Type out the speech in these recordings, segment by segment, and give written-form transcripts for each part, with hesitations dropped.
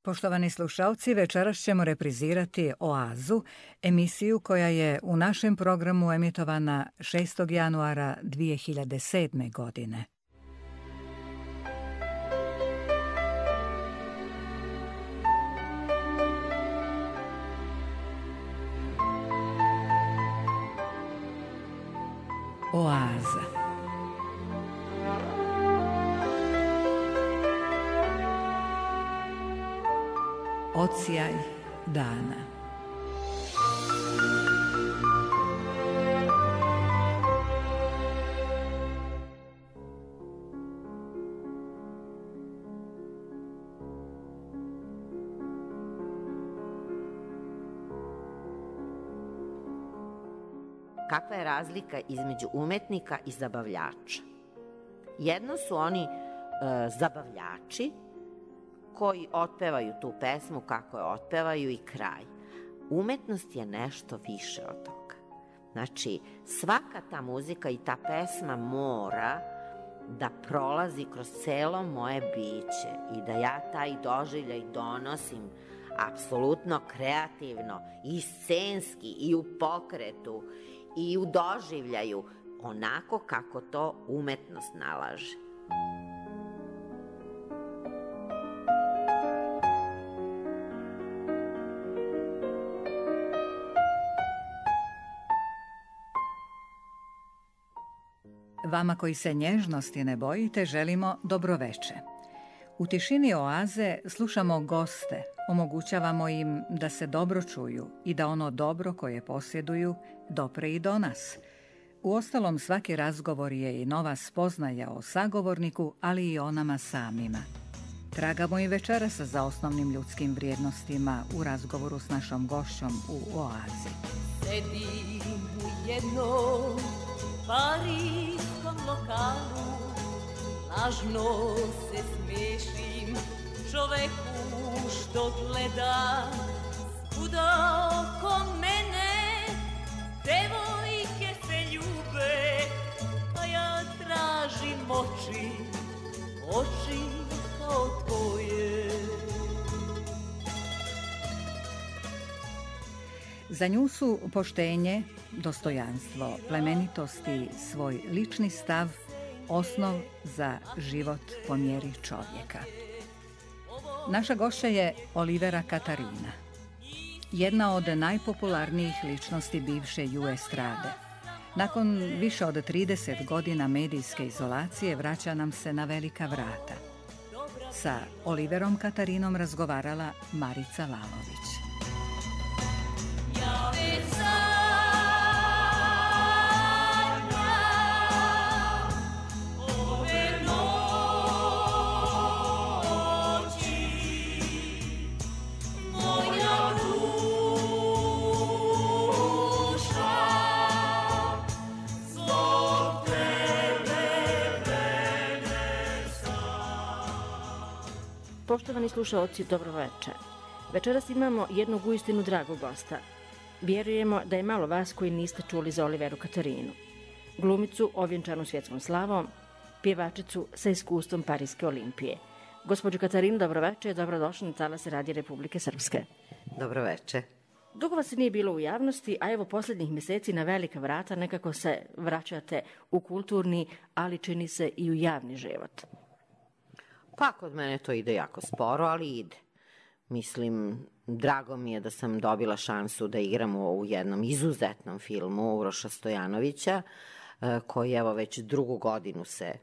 Poštovani slušalci, večeras ćemo reprizirati Oazu, emisiju koja je u našem programu emitovana 6. januara 2007. godine. Oaza. Odsjaj dana. Kakva je razlika između umetnika i zabavljača? Jedno su oni zabavljači koji otpevaju tu pesmu kako je otpevaju i kraj. Umetnost je nešto više od toga. Znači, svaka ta muzika i ta pesma mora da prolazi kroz celo moje biće i da ja taj doživljaj donosim apsolutno kreativno i scenski i u pokretu i u doživljaju, onako kako to umetnost nalaže. Vama koji se nježnosti ne bojite, želimo dobroveče. U tišini oaze slušamo goste, omogućavamo im da se dobro čuju i da ono dobro koje posjeduju dopre i do nas. Uostalom, svaki razgovor je i nova spoznaja o sagovorniku, ali i o nama samima. Tragamo i večeras za osnovnim ljudskim vrijednostima u razgovoru s našom gošćom u oazi. Sedim u jednom parijskom lokalu, lažno se smiješim čoveku što gleda svuda oko mene. Devojke se ljube, a ja tražim oči, oči kao tvoje. Za nju su poštenje, dostojanstvo, plemenitost i svoj lični stav osnov za život po mjeri čovjeka. Naša gošća je Olivera Katarina, jedna od najpopularnijih ličnosti bivše ju estrade. Nakon više od 30 godina medijske izolacije vraća nam se na velika vrata. Sa Oliverom Katarinom razgovarala Marica Lalović. Poštovani slušaoci, dobro večer. Večeras imamo jednog uistinu dragog gosta. Vjerujemo da je malo vas koji niste čuli za Oliveru Katarinu. Glumicu ovjenčanu svjetskom slavom, pjevačicu sa iskustvom Parijske olimpije. Gospođo Katarina, dobro večer, dobrodošli na Talas Radija Republike Srpske. Dobro večer. Dugo vas nije bilo u javnosti, a evo posljednjih mjeseci na velika vrata nekako se vraćate u kulturni, ali čini se i u javni život. Pa kod mene to ide jako sporo, ali ide. Mislim, drago mi je da sam dobila šansu da igram u jednom izuzetnom filmu Uroša Stojanovića, koji evo već drugu godinu se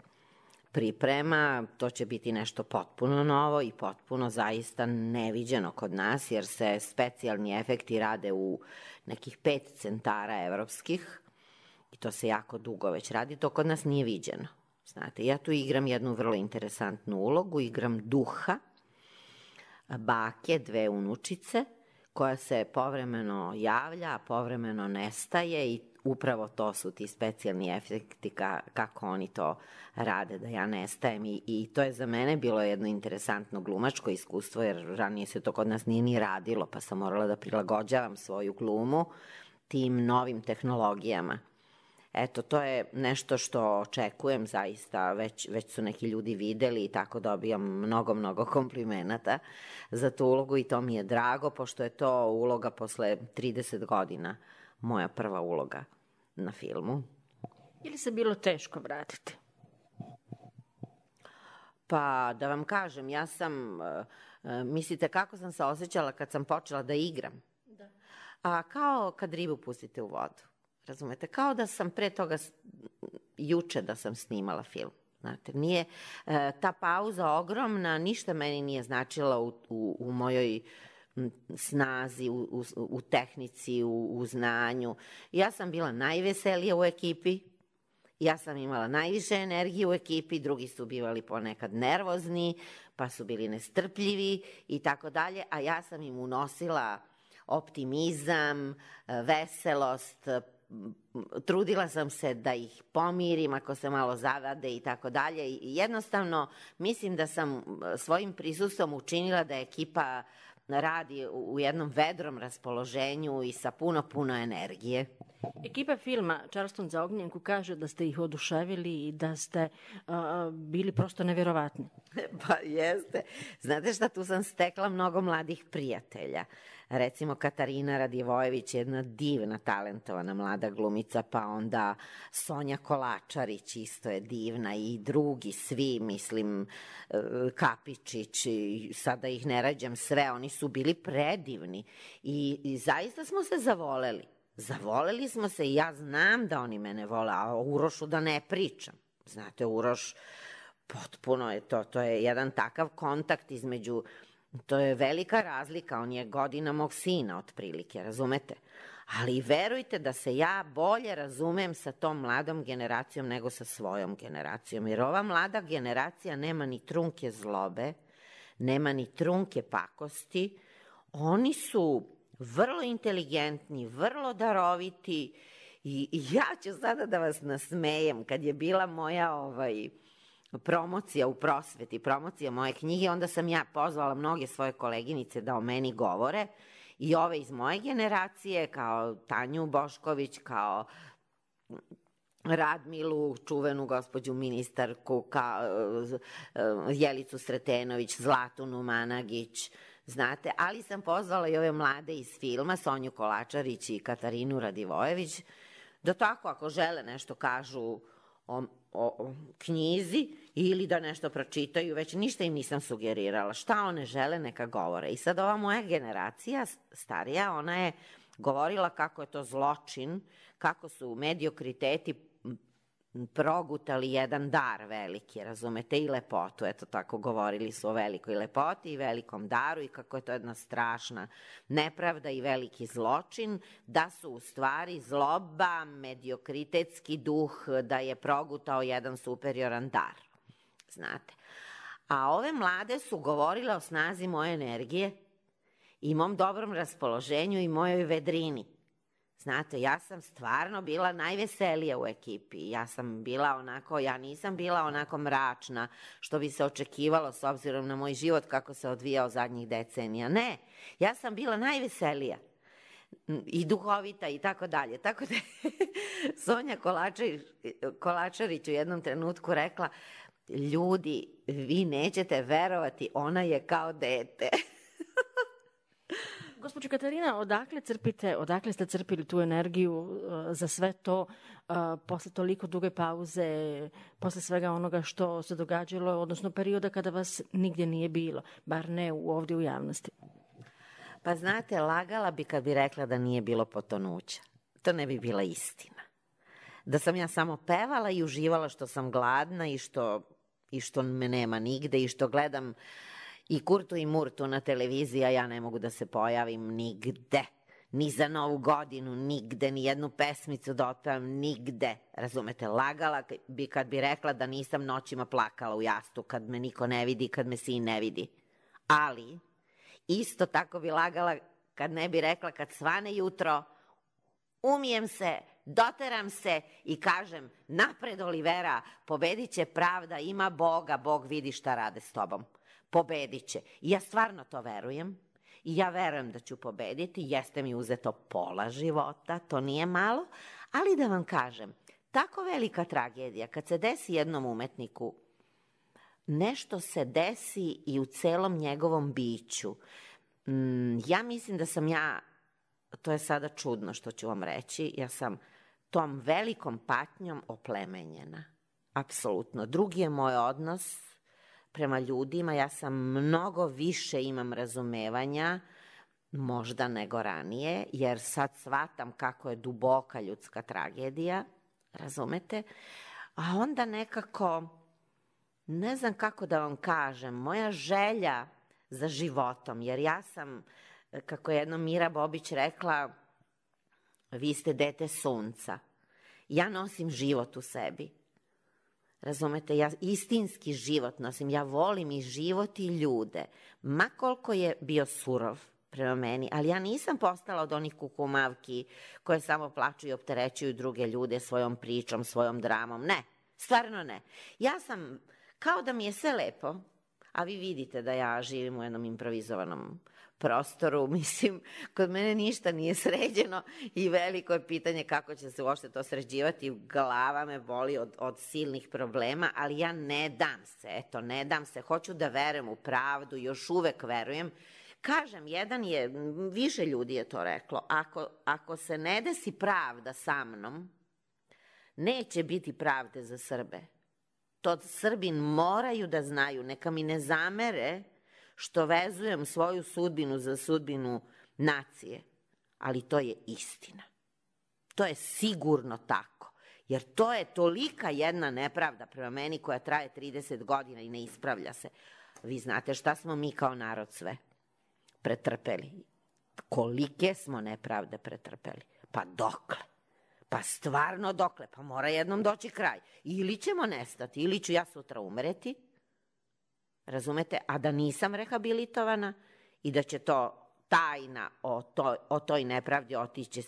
priprema. To će biti nešto potpuno novo i potpuno zaista neviđeno kod nas, jer se specijalni efekti rade u nekih 5 centara evropskih i to se jako dugo već radi. To kod nas nije viđeno. Znate, ja tu igram jednu vrlo interesantnu ulogu, igram duha, bake, 2 unučice, koja se povremeno javlja, a povremeno nestaje i upravo to su ti specijalni efekti kako oni to rade, da ja nestajem i to je za mene bilo jedno interesantno glumačko iskustvo, jer ranije se to kod nas nije ni radilo, pa sam morala da prilagođavam svoju glumu tim novim tehnologijama. Eto, to je nešto što očekujem zaista, već su neki ljudi videli i tako dobijam mnogo komplimenata za tu ulogu i to mi je drago, pošto je to uloga posle 30 godina, moja prva uloga na filmu. Ili se bilo teško vratiti? Pa, da vam kažem, ja sam, mislite kako sam se osjećala kad sam počela da igram? Da. A kao kad ribu pustite u vodu. Razumete, kao da sam pre toga, juče da sam snimala film. Znate, nije, ta pauza ogromna, ništa meni nije značila u mojoj snazi, u tehnici, u znanju. Ja sam bila najveselija u ekipi, ja sam imala najviše energije u ekipi, drugi su bivali ponekad nervozni, pa su bili nestrpljivi i tako dalje, a ja sam im unosila optimizam, veselost, trudila sam se da ih pomirim ako se malo zavade i tako dalje. I jednostavno mislim da sam svojim prisustvom učinila da ekipa radi u jednom vedrom raspoloženju i sa puno energije. Ekipa filma Charleston za ognjenku kaže da ste ih oduševili i da ste bili prosto neverovatni. Pa jeste. Znate šta, tu sam stekla mnogo mladih prijatelja. Recimo Katarina Radivojević, jedna divna, talentovana mlada glumica, pa onda Sonja Kolačarić isto je divna i drugi, svi, mislim, Kapičić, i sada ih ne rađam sve, oni su bili predivni i zaista smo se zavoleli. Zavoleli smo se i ja znam da oni mene vole, a o Urošu da ne pričam. Znate, Uroš, potpuno je to je jedan takav kontakt između, to je velika razlika, on je godina mog sina otprilike, razumete? Ali verujte da se ja bolje razumem sa tom mladom generacijom nego sa svojom generacijom, jer ova mlada generacija nema ni trunke zlobe, nema ni trunke pakosti, oni su vrlo inteligentni, vrlo daroviti i ja ću sada da vas nasmejem. Kad je bila moja promocija u prosveti, promocija moje knjige, onda sam ja pozvala mnoge svoje koleginice da o meni govore i ove iz moje generacije, kao Tanju Bošković, kao Radmilu, čuvenu gospođu ministarku, Jelicu Sretenović, Zlatu Numanagić, znate, ali sam pozvala i ove mlade iz filma, Sonju Kolačarić i Katarinu Radivojević, da tako ako žele nešto kažu o knjizi ili da nešto pročitaju, već ništa im nisam sugerirala. Šta one žele, neka govore. I sad ova moja generacija, starija, ona je govorila kako je to zločin, kako su mediokriteti progutali jedan dar veliki, razumete, i lepotu. Eto, tako govorili su o velikoj lepoti i velikom daru i kako je to jedna strašna nepravda i veliki zločin, da su u stvari zloba, mediokritetski duh, da je progutao jedan superioran dar. Znate. A ove mlade su govorile o snazi moje energije i mom dobrom raspoloženju i mojoj vedrini. Znate, ja sam stvarno bila najveselija u ekipi. Ja nisam bila onako mračna, što bi se očekivalo s obzirom na moj život kako se odvijao zadnjih decenija. Ne, ja sam bila najveselija i duhovita i tako dalje. Tako da Sonja Kolačarić u jednom trenutku rekla, ljudi, vi nećete verovati, ona je kao dete. Gospođo Katarina, odakle ste crpili tu energiju za sve to posle toliko duge pauze, posle svega onoga što se događalo, odnosno perioda kada vas nigdje nije bilo, bar ne ovdje u javnosti? Pa znate, lagala bi kad bi rekla da nije bilo potonuća. To ne bi bila istina. Da sam ja samo pevala i uživala što sam gladna i što me nema nigde i što gledam i Kurtu i Murtu na televiziji, a ja ne mogu da se pojavim nigde. Ni za Novu godinu, nigde, ni jednu pesmicu da otpevam, nigde. Razumete, lagala bi kad bi rekla da nisam noćima plakala u jastu, kad me niko ne vidi, kad me sin ne vidi. Ali, isto tako bi lagala kad ne bi rekla kad svane jutro, umijem se, doteram se i kažem, napred Olivera, pobedit će pravda, ima Boga, Bog vidi šta rade s tobom. Pobedit će. I ja stvarno to verujem. I ja verujem da ću pobediti. Jeste mi uzeto pola života, to nije malo. Ali da vam kažem, tako velika tragedija. Kad se desi jednom umetniku, nešto se desi i u celom njegovom biću. Ja mislim da sam to je sada čudno što ću vam reći, ja sam tom velikom patnjom oplemenjena. Apsolutno. Drugi je moj odnos prema ljudima, ja sam mnogo više imam razumevanja, možda nego ranije, jer sad shvatam kako je duboka ljudska tragedija, razumete? A onda nekako, ne znam kako da vam kažem, moja želja za životom, jer ja sam, kako je jednom Mira Bobić rekla, vi ste dete sunca. Ja nosim život u sebi. Razumete, ja istinski život nosim, ja volim i život i ljude, ma koliko je bio surov prema meni, ali ja nisam postala od onih kukumavki koje samo plaču i opterećuju druge ljude svojom pričom, svojom dramom, ne, stvarno ne. Ja sam, kao da mi je sve lepo, a vi vidite da ja živim u jednom improvizovanom prostoru, mislim, kod mene ništa nije sređeno i veliko je pitanje kako će se uopšte to sređivati, glava me boli od silnih problema, ali ja ne dam se, hoću da verujem u pravdu, još uvek verujem. Kažem, više ljudi je to reklo, ako se ne desi pravda sa mnom, neće biti pravde za Srbe. To Srbi moraju da znaju, neka mi ne zamere što vezujem svoju sudbinu za sudbinu nacije, ali to je istina. To je sigurno tako, jer to je tolika jedna nepravda prema meni koja traje 30 godina i ne ispravlja se. Vi znate šta smo mi kao narod sve pretrpeli. Kolike smo nepravde pretrpeli. Pa dokle? Pa stvarno dokle? Pa mora jednom doći kraj. Ili ćemo nestati, ili ću ja sutra umreti, razumete, a da nisam rehabilitovana i da će to tajna o toj nepravdi otići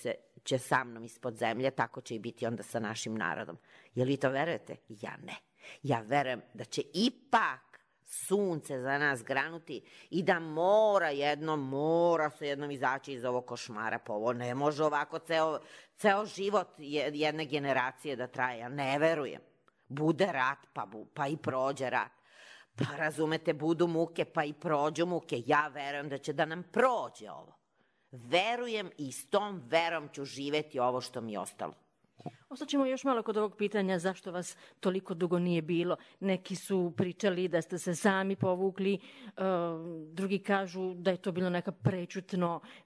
će sa mnom ispod zemlje, tako će i biti onda sa našim narodom. Jel vi to verujete? Ja ne. Ja verujem da će ipak sunce za nas granuti i da mora se jednom izaći iz ovog košmara, pa ovo ne može ovako ceo život jedne generacije da traje, ja ne verujem. Bude rat, pa i prođe rat. Pa razumete, budu muke, pa i prođu muke. Ja verujem da će da nam prođe ovo. Verujem i s tom verom ću živeti ovo što mi je ostalo. Ostaćemo još malo kod ovog pitanja zašto vas toliko dugo nije bilo. Neki su pričali da ste se sami povukli, drugi kažu da je to bilo neka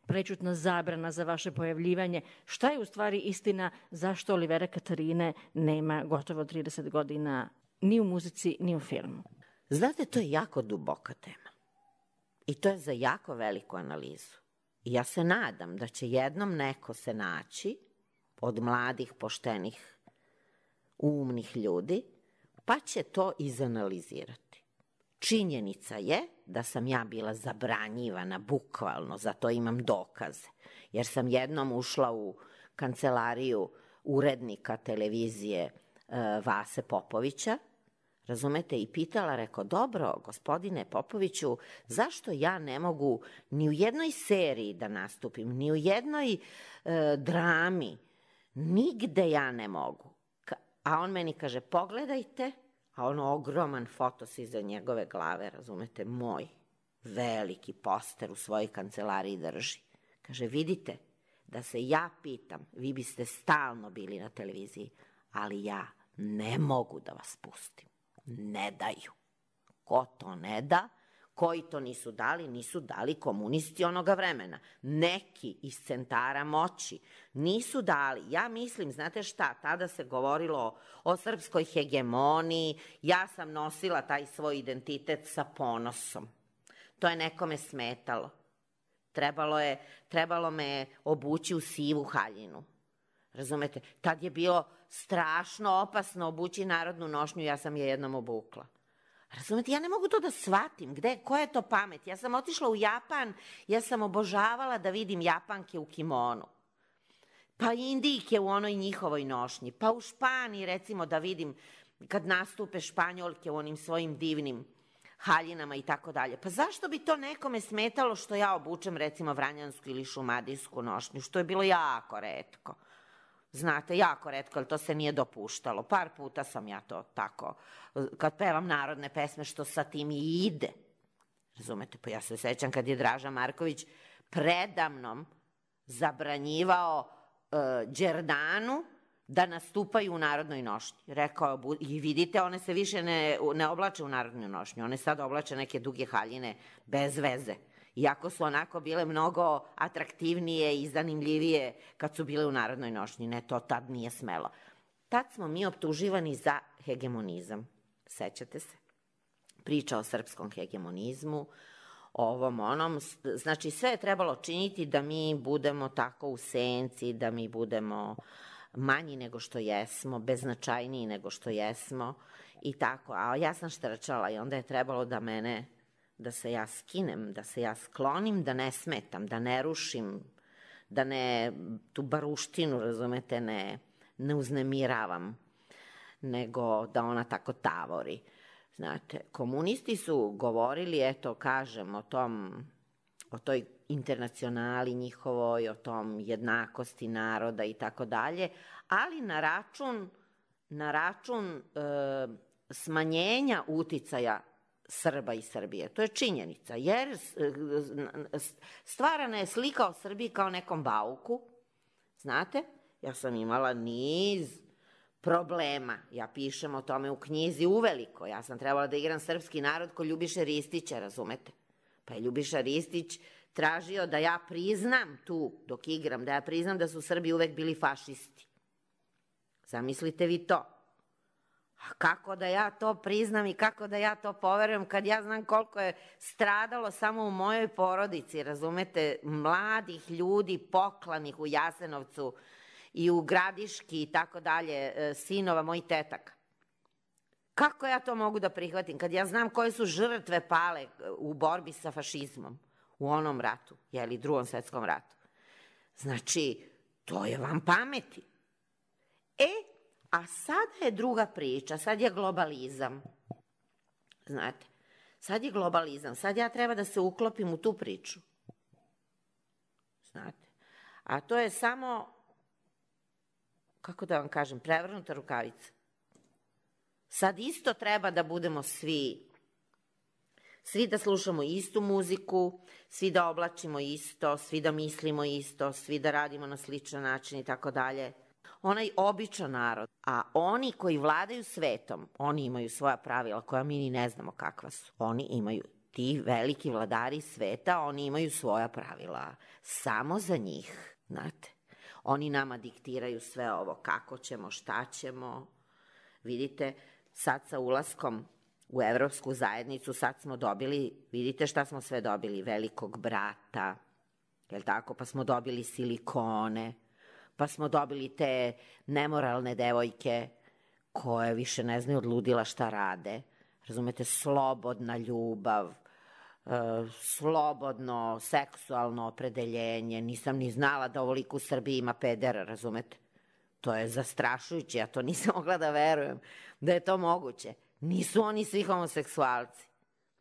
prečutna zabrana za vaše pojavljivanje. Šta je u stvari istina zašto Olivera Katarine nema gotovo 30 godina ni u muzici ni u filmu? Znate, to je jako duboka tema i to je za jako veliku analizu. I ja se nadam da će jednom neko se naći od mladih, poštenih, umnih ljudi, pa će to izanalizirati. Činjenica je da sam ja bila zabranjivana, bukvalno, zato imam dokaze, jer sam jednom ušla u kancelariju urednika televizije Vase Popovića, razumete, i pitala, rekao, dobro, gospodine Popoviću, zašto ja ne mogu ni u jednoj seriji da nastupim, ni u jednoj drami, nigde ja ne mogu. A on meni kaže, pogledajte, a ono ogroman fotos iza njegove glave, razumete, moj veliki poster u svojoj kancelariji drži. Kaže, vidite, da se ja pitam, vi biste stalno bili na televiziji, ali ja ne mogu da vas pustim. Ne daju. Ko to ne da? Koji to nisu dali komunisti onoga vremena. Neki iz centara moći nisu dali. Ja mislim, znate šta, tada se govorilo o srpskoj hegemoniji, ja sam nosila taj svoj identitet sa ponosom. To je nekome smetalo. Trebalo me obući u sivu haljinu. Razumete, tad je bilo strašno opasno obući narodnu nošnju, ja sam je jednom obukla. Razumete, ja ne mogu to da shvatim, koja je to pamet? Ja sam otišla u Japan, ja sam obožavala da vidim Japanke u kimonu, pa Indijke u onoj njihovoj nošnji, pa u Španiji recimo da vidim kad nastupe Španjolke u onim svojim divnim haljinama i tako dalje. Pa zašto bi to nekome smetalo što ja obučem recimo vranjansku ili šumadijsku nošnju, što je bilo jako retko? Znate, jako retko, ali to se nije dopuštalo. Par puta sam ja to tako, kad pevam narodne pesme, što sa tim i ide. Razumete, pa ja se sećam kad je Draža Marković predamnom zabranjivao Đerdanu da nastupaju u narodnoj nošnji. Rekao, i vidite, one se više ne oblače u narodnoj nošnji, one sad oblače neke duge haljine bez veze. Iako su onako bile mnogo atraktivnije i zanimljivije kad su bile u narodnoj nošnji. Ne, to tad nije smelo. Tad smo mi optuživani za hegemonizam. Sećate se? Priča o srpskom hegemonizmu, ovom onom. Znači, sve je trebalo činiti da mi budemo tako u senci, da mi budemo manji nego što jesmo, beznačajniji nego što jesmo i tako. A ja sam štrčala i onda je trebalo da se ja skinem, da se ja sklonim, da ne smetam, da ne rušim, da ne tu baruštinu, razumete, ne uznemiravam, nego da ona tako tavori. Znate, komunisti su govorili, eto, kažem, o toj internacionali njihovoj, o tom jednakosti naroda i tako dalje, ali na račun smanjenja uticaja Srba i Srbije. To je činjenica, jer stvarana je slika o Srbiji kao nekom bauku. Znate, ja sam imala niz problema. Ja pišem o tome u knjizi uveliko. Ja sam trebala da igram srpski narod ko Ljubiša Ristića, razumete? Pa je Ljubiša Ristić tražio da ja priznam tu, dok igram, da ja priznam da su Srbi uvek bili fašisti. Zamislite vi to. A kako da ja to priznam i kako da ja to poverujem kad ja znam koliko je stradalo samo u mojoj porodici, razumete, mladih ljudi poklanih u Jasenovcu i u Gradiški i tako dalje, sinova mojih tetaka. Kako ja to mogu da prihvatim kad ja znam koje su žrtve pale u borbi sa fašizmom u onom ratu, jeli, Drugom svetskom ratu? Znači, to je vam pameti. A sada je druga priča, sad je globalizam. Znate, sad je globalizam, sad ja treba da se uklopim u tu priču. Znate, a to je samo, kako da vam kažem, prevrnuta rukavica. Sad isto treba da budemo svi da slušamo istu muziku, svi da oblačimo isto, svi da mislimo isto, svi da radimo na sličan način i tako dalje. Onaj običan narod, a oni koji vladaju svetom, oni imaju svoja pravila koja mi ni ne znamo kakva su. Oni imaju, ti veliki vladari sveta, oni imaju svoja pravila, samo za njih, znate. Oni nama diktiraju sve ovo, kako ćemo, šta ćemo. Vidite, sad sa ulaskom u Evropsku zajednicu, sad smo dobili, vidite šta smo sve dobili, velikog brata, jel tako, pa smo dobili silikone, pa smo dobili te nemoralne devojke koje više ne znaju od ludila šta rade. Razumete, slobodna ljubav, slobodno seksualno opredeljenje. Nisam ni znala da ovoliko u Srbiji ima pedera, razumete? To je zastrašujuće, ja to nisam mogla da verujem da je to moguće. Nisu oni svi homoseksualci,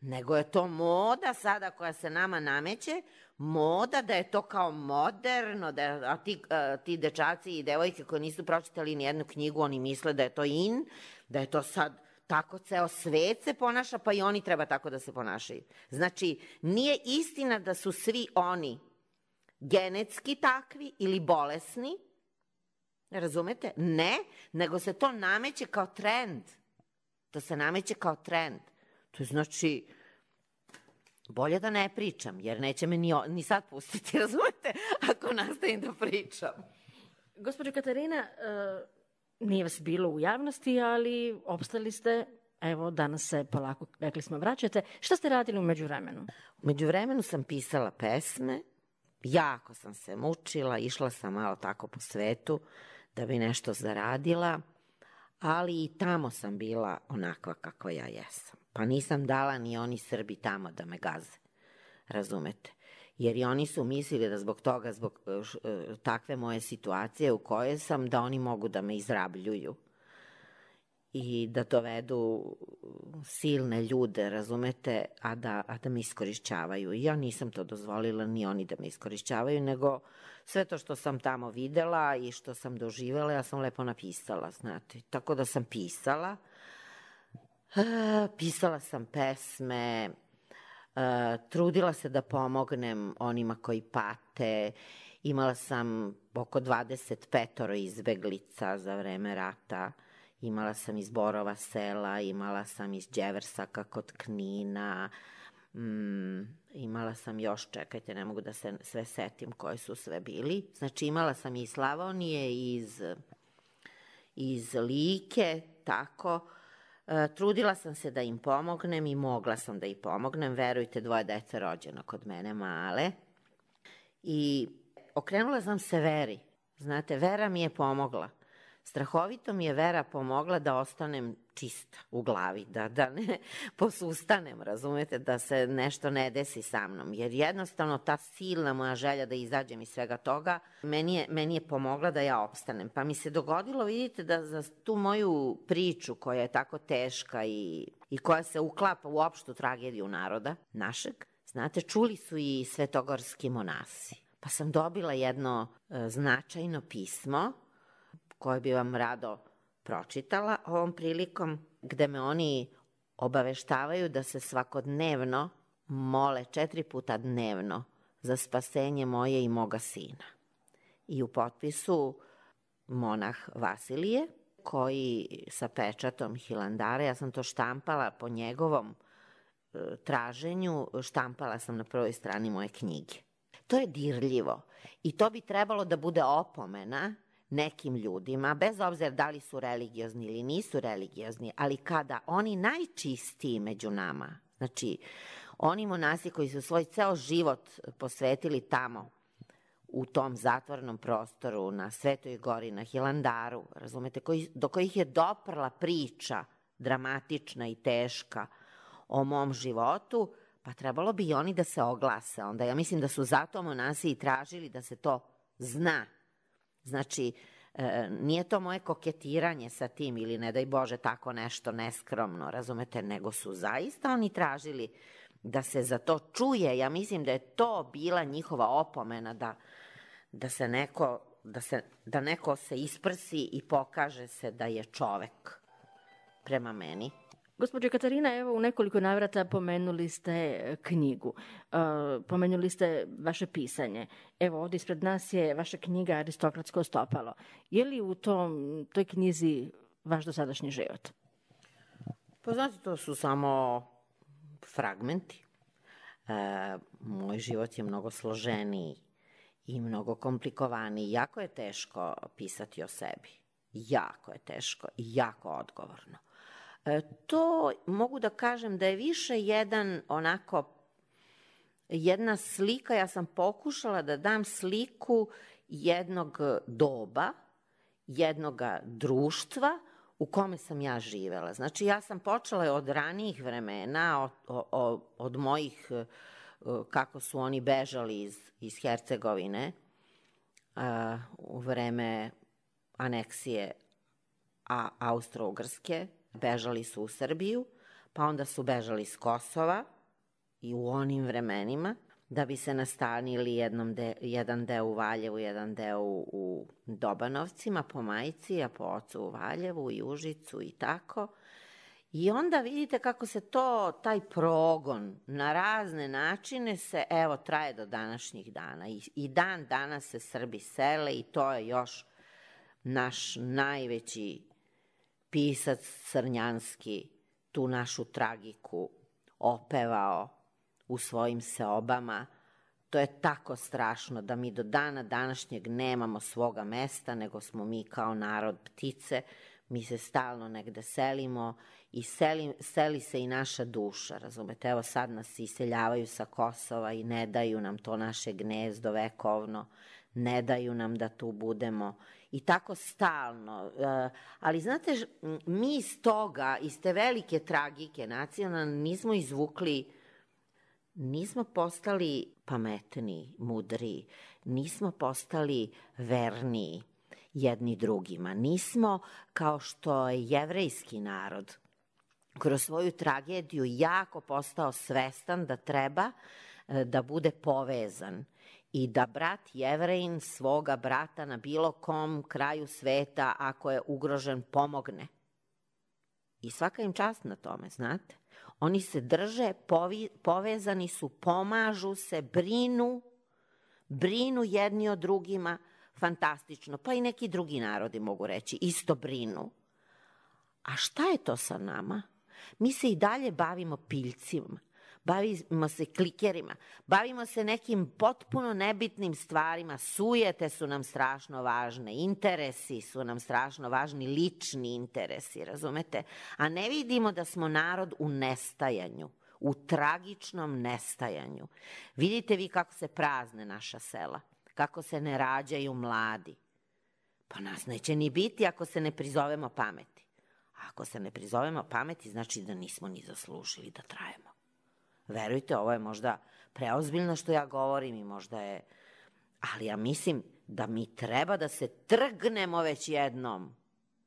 nego je to moda sada koja se nama nameće, moda da je to kao moderno, a ti dečaci i devojke koji nisu pročitali nijednu knjigu, oni misle da je to in, da je to sad tako ceo svet se ponaša, pa i oni treba tako da se ponašaju. Znači, nije istina da su svi oni genetski takvi ili bolesni, razumete? Ne, nego se to nameće kao trend. To se nameće kao trend. To znači, bolje da ne pričam, jer neće me ni sad pustiti, razumete, ako nastavim da pričam. Gospođo Katarina, nije vas bilo u javnosti, ali opstali ste, evo, danas se polako, rekli smo, vraćate. Šta ste radili u međuvremenu? U međuvremenu sam pisala pesme, jako sam se mučila, išla sam malo tako po svetu da bi nešto zaradila, ali i tamo sam bila onakva kako ja jesam. Pa nisam dala ni oni Srbi tamo da me gaze, razumete? Jer i oni su mislili da zbog toga, zbog takve moje situacije u kojoj sam, da oni mogu da me izrabljuju. i da dovedu silne ljude, razumete, a da me iskorišćavaju. Ja nisam to dozvolila, ni oni da me iskorišćavaju, nego sve to što sam tamo videla i što sam doživela, ja sam lepo napisala, znate. Tako da sam pisala. Pisala sam pesme, trudila se da pomognem onima koji pate. Imala sam oko 25 izbeglica za vreme rata. Imala sam iz Borova Sela, imala sam iz Đeversaka kod Knina, imala sam još, čekajte, ne mogu da se sve setim koji su sve bili. Znači imala sam i iz Slavonije, iz Like, tako. Trudila sam se da im pomognem i mogla sam da im pomognem. Verujte, 2 dece rođeno kod mene, male. I okrenula sam se Veri. Znate, Vera mi je pomogla. Strahovito mi je Vera pomogla da ostanem čista u glavi, da ne posustanem, razumete, da se nešto ne desi sa mnom. Jer jednostavno ta silna moja želja da izađem iz svega toga, meni je pomogla da ja opstanem. Pa mi se dogodilo, vidite, da za tu moju priču koja je tako teška i koja se uklapa u opštu tragediju naroda našeg, znate, čuli su i svetogorski monasi. Pa sam dobila jedno značajno pismo koje bi vam rado pročitala ovom prilikom, gde me oni obaveštavaju da se svakodnevno mole 4 puta dnevno za spasenje moje i moga sina. I u potpisu monah Vasilije, koji sa pečatom Hilandara, ja sam to štampala po njegovom traženju, štampala sam na prvoj strani moje knjige. To je dirljivo i to bi trebalo da bude opomena nekim ljudima, bez obzira da li su religiozni ili nisu religiozni, ali kada oni najčistiji među nama, znači oni monasi koji su svoj ceo život posvetili tamo, u tom zatvornom prostoru, na Svetoj gori, na Hilandaru, razumete, do kojih je doprla priča dramatična i teška o mom životu, pa trebalo bi i oni da se oglase onda. Ja mislim da su zato monasi i tražili da se to zna. Znači, nije to moje koketiranje sa tim ili ne daj Bože tako nešto neskromno, razumete, nego su zaista oni tražili da se za to čuje. Ja mislim da je to bila njihova opomena da neko se isprsi i pokaže se da je čovek prema meni. Gospođo Katarina, evo u nekoliko navrata pomenuli ste knjigu, pomenuli ste vaše pisanje. Evo ovdje ispred nas je vaša knjiga Aristokratsko stopalo. Je li u toj knjizi vaš dosadašnji život? Pa znate, to su samo fragmenti. Moj život je mnogo složeniji i mnogo komplikovaniji. Jako je teško pisati o sebi. Jako je teško i jako odgovorno. To mogu da kažem da je više jedna slika, ja sam pokušala da dam sliku jednog doba, jednog društva u kome sam ja živela. Znači ja sam počela od ranijih vremena, od mojih, kako su oni bežali iz Hercegovine u vreme aneksije Austro-Ugrske, bežali su u Srbiju, pa onda su bežali iz Kosova i u onim vremenima, da bi se nastanili jedan deo u Valjevu, jedan deo u Dobanovcima, po majci, a po ocu u Valjevu i Užicu i tako. I onda vidite kako se taj progon na razne načine traje do današnjih dana. I dan danas se Srbi sele i to je još naš najveći pisac Crnjanski tu našu tragiku opevao u svojim seobama. To je tako strašno da mi do dana današnjeg nemamo svoga mesta, nego smo mi kao narod ptice, mi se stalno negde selimo i seli se i naša duša, razumete? Evo sad nas iseljavaju sa Kosova i ne daju nam to naše gnezdo vekovno, ne daju nam da tu budemo i tako stalno. Ali znate, mi iz toga, iz te velike tragike nacionalne nismo postali pametniji, mudriji, nismo postali verniji. jedni drugima. Nismo kao što je jevrejski narod kroz svoju tragediju jako postao svestan da treba da bude povezan i da brat Jevrejin svoga brata na bilo kom kraju sveta, ako je ugrožen, pomogne. I svaka im čast na tome, znate. Oni se drže, povezani su, pomažu se, brinu jedni o drugima, fantastično. Pa i neki drugi narodi mogu reći, isto brinu. A šta je to sa nama? Mi se i dalje bavimo piljcima, bavimo se klikerima, bavimo se nekim potpuno nebitnim stvarima, sujete su nam strašno važne, interesi su nam strašno važni, lični interesi, razumete? A ne vidimo da smo narod u nestajanju, u tragičnom nestajanju. Vidite vi kako se prazne naša sela, kako se ne rađaju mladi. Pa nas neće ni biti ako se ne prizovemo pameti. A ako se ne prizovemo pameti, znači da nismo ni zaslužili da trajemo. Verujte, ovo je možda preozbiljno što ja govorim i možda je... Ali ja mislim da mi treba da se trgnemo već jednom.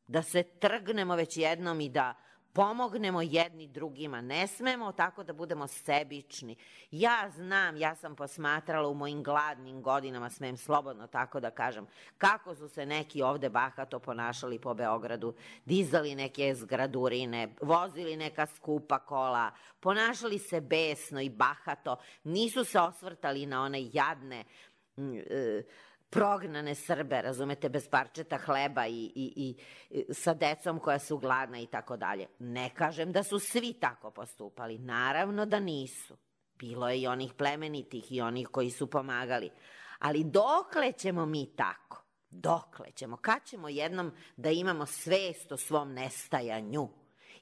Da se trgnemo već jednom i da pomognemo jedni drugima. Ne smemo tako da budemo sebični. Ja znam, ja sam posmatrala u mojim gladnim godinama, smem slobodno tako da kažem, kako su se neki ovde bahato ponašali po Beogradu, dizali neke zgradurine, vozili neka skupa kola, ponašali se besno i bahato, nisu se osvrtali na one jadne prognane Srbe, razumete, bez parčeta hleba i sa decom koja su gladna i tako dalje. Ne kažem da su svi tako postupali, naravno da nisu. Bilo je i onih plemenitih i onih koji su pomagali. Ali dokle ćemo mi tako? Dokle ćemo? Kad ćemo jednom da imamo svest o svom nestajanju?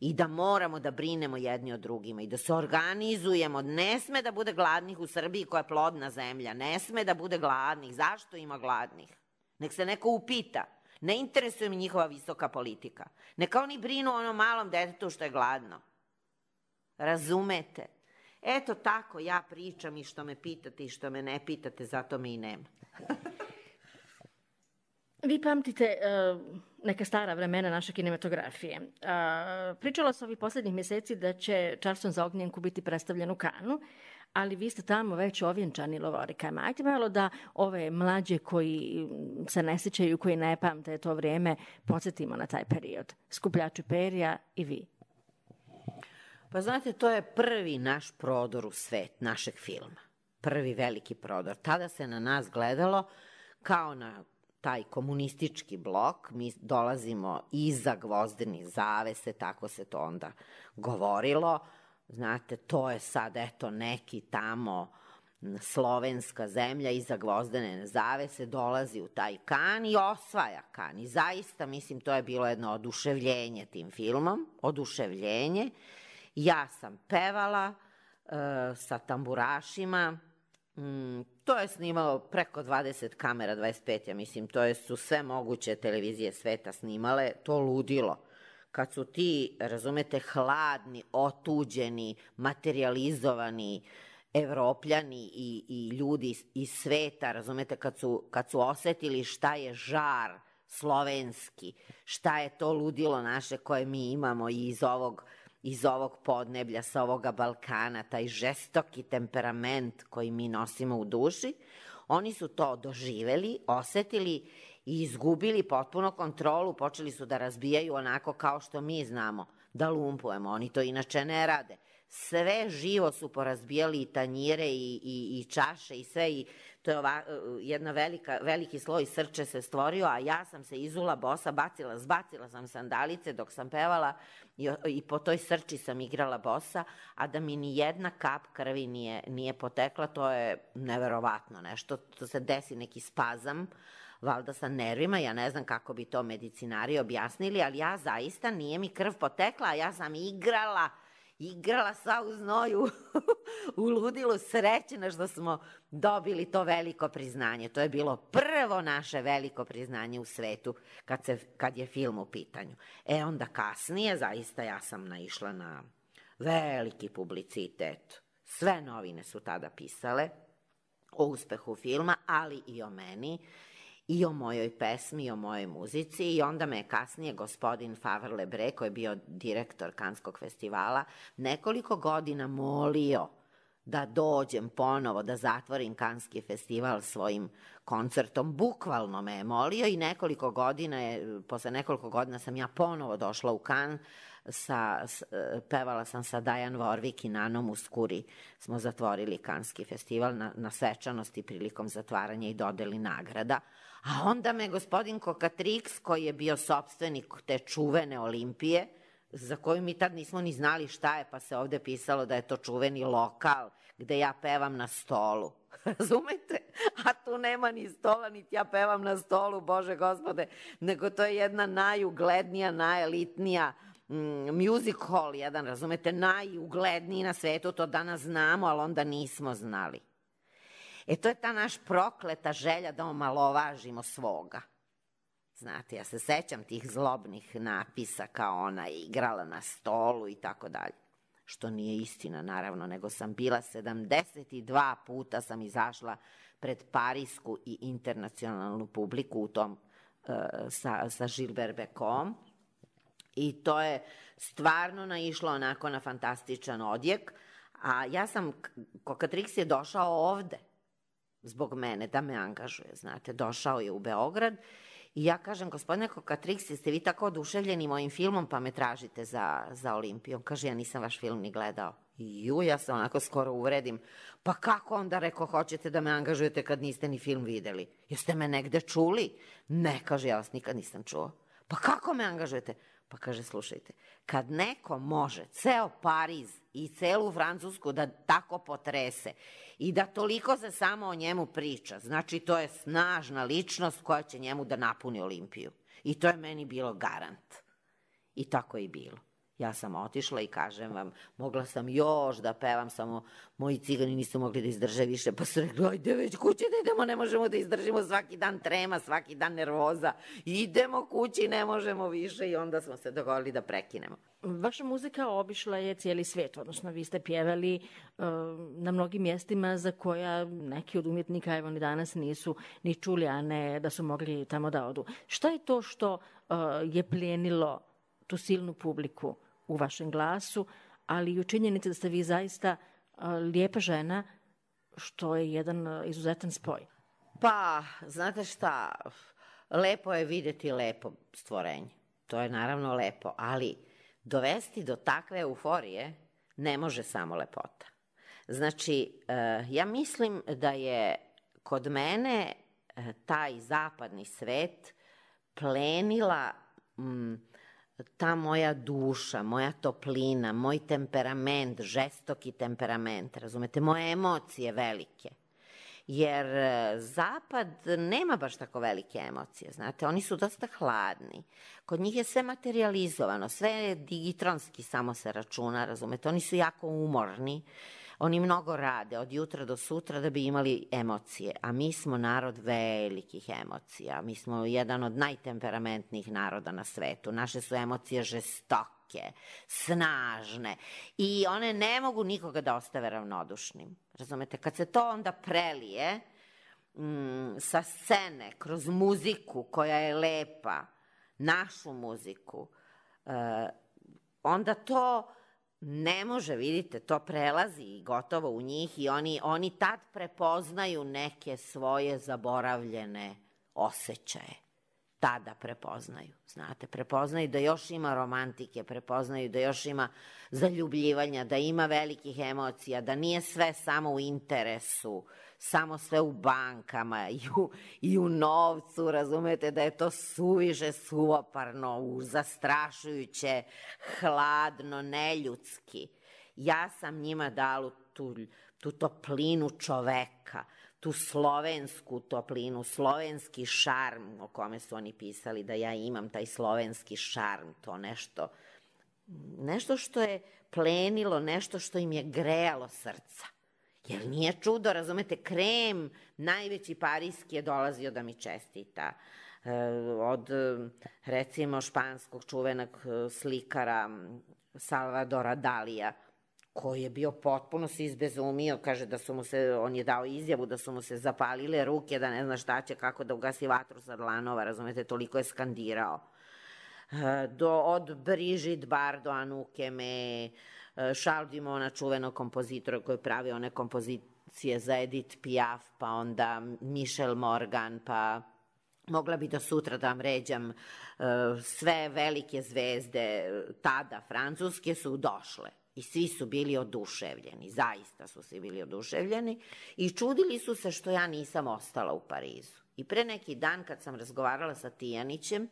I da moramo da brinemo jedni o drugima i da se organizujemo. Ne sme da bude gladnih u Srbiji koja je plodna zemlja. Ne sme da bude gladnih. Zašto ima gladnih? Nek se neko upita. Ne interesuje mi njihova visoka politika. Neka oni brinu o onom malom detetu što je gladno. Razumete? Eto tako ja pričam i što me pitate i što me ne pitate, zato me i nema. Vi pamtite neka stara vremena naše kinematografije. Pričala se ovih poslednjih meseci da će Čarson za ognjenku biti predstavljen u Kanu, ali vi ste tamo već ovjenčani lovorikama. Ajde malo da ove mlađe koji se ne sećaju, koji ne pamte to vrijeme, podsjetimo na taj period. Skupljači perja i vi. Pa znate, to je prvi naš prodor u svet našeg filma. Prvi veliki prodor. Tada se na nas gledalo kao na taj komunistički blok, mi dolazimo iza gvozdenih zavese, tako se to onda govorilo. Znate, to je sad, eto, neki tamo slovenska zemlja iza gvozdene zavese dolazi u taj Kan i osvaja Kan. I zaista, mislim, to je bilo jedno oduševljenje tim filmom, oduševljenje. Ja sam pevala sa tamburašima. To je snimalo preko 20 kamera, 25, ja mislim, to su sve moguće televizije sveta snimale, to ludilo. Kad su ti, razumete, hladni, otuđeni, materializovani Evropljani i ljudi iz sveta, razumete, kad su osetili šta je žar slovenski, šta je to ludilo naše koje mi imamo i iz ovog podneblja, sa ovoga Balkana, taj žestoki temperament koji mi nosimo u duši, oni su to doživeli, osetili i izgubili potpuno kontrolu, počeli su da razbijaju onako kao što mi znamo, da lumpujemo, oni to inače ne rade. Sve živo su porazbijali i tanjire i čaše i sve, i to je jedna veliki sloj srče se stvorio, a ja sam se izula bosa, zbacila sam sandalice dok sam pevala i po toj srči sam igrala bosa, a da mi ni jedna kap krvi nije potekla, to je neverovatno nešto, to se desi neki spazam, valjda sa nervima, ja ne znam kako bi to medicinari objasnili, ali ja zaista nije mi krv potekla, a ja sam igrala sva u znoju, u ludilu, srećena što smo dobili to veliko priznanje. To je bilo prvo naše veliko priznanje u svetu kad je film u pitanju. Onda kasnije, zaista ja sam naišla na veliki publicitet. Sve novine su tada pisale o uspehu filma, ali i o meni. i o mojoj pesmi, i o mojoj muzici, i onda me je kasnije gospodin Favre Lebre, koji je bio direktor Kanskog festivala, nekoliko godina molio da dođem ponovo, da zatvorim Kanski festival svojim koncertom. Bukvalno me je molio i posle nekoliko godina sam ja ponovo došla u Kan, pevala sam sa Diane Warwick i Nanom Mouskouri, smo zatvorili Kanski festival na svečanosti prilikom zatvaranja i dodeli nagrada. A onda me gospodin Kokatrix, koji je bio sopstvenik te čuvene Olimpije, za koju mi tad nismo ni znali šta je, pa se ovde pisalo da je to čuveni lokal gde ja pevam na stolu. Razumete? A tu nema ni stola, niti ja pevam na stolu, Bože Gospode, nego to je jedna najuglednija, najelitnija music hall, jedan, razumete, najugledniji na svetu, to danas znamo, ali onda nismo znali. To je ta naš prokleta želja da omalovažimo svoga. Znate, ja se sećam tih zlobnih napisa kao ona je igrala na stolu i tako dalje. Što nije istina, naravno, nego sam bila 72 puta sam izašla pred parijsku i internacionalnu publiku u tom sa Gilbert Bécaud. I to je stvarno naišlo onako na fantastičan odjek. A ja sam, Kokatrix je došao ovde zbog mene da me angažuje, znate, došao je u Beograd i ja kažem, gospodine Kokatrix, jeste vi tako oduševljeni mojim filmom pa me tražite za Olimpiju? On kaže, ja nisam vaš film ni gledao. Ja se onako skoro uvredim. Pa kako onda, rekao, hoćete da me angažujete kad niste ni film videli? Jeste me negde čuli? Ne, kaže, ja vas nikad nisam čuo. Pa kako me angažujete? Pa kaže, slušajte, kad neko može ceo Pariz i celu Francusku da tako potrese i da toliko se samo o njemu priča, znači to je snažna ličnost koja će njemu da napuni Olimpiju. I to je meni bilo garant. I tako je i bilo. Ja sam otišla i kažem vam, mogla sam još da pevam, samo moji cigani nisu mogli da izdrže više, pa su rekli, ajde već kući da idemo, ne možemo da izdržimo svaki dan trema, svaki dan nervoza, idemo kući, ne možemo više, i onda smo se dogovorili da prekinemo. Vaša muzika obišla je cijeli svet, odnosno vi ste pjevali na mnogim mjestima za koja neki od umjetnika evo ni danas nisu ni čuli, a ne da su mogli tamo da odu. Šta je to što je plijenilo tu silnu publiku u vašem glasu, ali i u činjenici da ste vi zaista lijepa žena, što je jedan izuzetan spoj? Pa, znate šta, lepo je vidjeti lepo stvorenje. To je naravno lepo, ali dovesti do takve euforije ne može samo lepota. Znači, ja mislim da je kod mene taj zapadni svet plenila ta moja duša, moja toplina, moj temperament, žestoki temperament, razumete, moje emocije velike. Jer Zapad nema baš tako velike emocije, znate, oni su dosta hladni. Kod njih je sve materializovano, sve je digitronski samo se računa, razumete, oni su jako umorni, oni mnogo rade od jutra do sutra da bi imali emocije, a mi smo narod velikih emocija, mi smo jedan od najtemperamentnijih naroda na svetu, naše su emocije žestoke, snažne i one ne mogu nikoga da ostave ravnodušnim, razumete, kad se to onda prelije sa scene, kroz muziku koja je lepa, našu muziku, onda to ne može, vidite, to prelazi i gotovo u njih i oni tad prepoznaju neke svoje zaboravljene osjećaje. Tada prepoznaju, znate, prepoznaju da još ima romantike, prepoznaju da još ima zaljubljivanja, da ima velikih emocija, da nije sve samo u interesu, samo sve u bankama i u novcu, razumete, da je to suviše suvoparno, zastrašujuće, hladno, neljudski. Ja sam njima dala tu toplinu čoveka, tu slovensku toplinu, slovenski šarm o kome su oni pisali da ja imam taj slovenski šarm, to nešto što je plenilo, nešto što im je grejalo srca. Jer nije čudo, razumete, Krem, najveći parijski je dolazio da mi čestita. Od, recimo, španskog čuvenog slikara Salvadora Dalija, koji je bio potpuno se izbezumio, kaže da su mu se, on je dao izjavu da su mu se zapalile ruke, da ne zna šta će, kako da ugasi vatru sa dlanova, razumete, toliko je skandirao. Od Brigitte Bardot, Anuke Me, Charles Dumont, čuvenog kompozitora koji pravi one kompozicije za Edith Piaf, pa onda Michel Morgan, pa mogla bi do sutra da vam ređam, sve velike zvezde tada francuske su došle i svi su bili oduševljeni, zaista su svi bili oduševljeni i čudili su se što ja nisam ostala u Parizu. I pre neki dan kad sam razgovarala sa Tijanićem,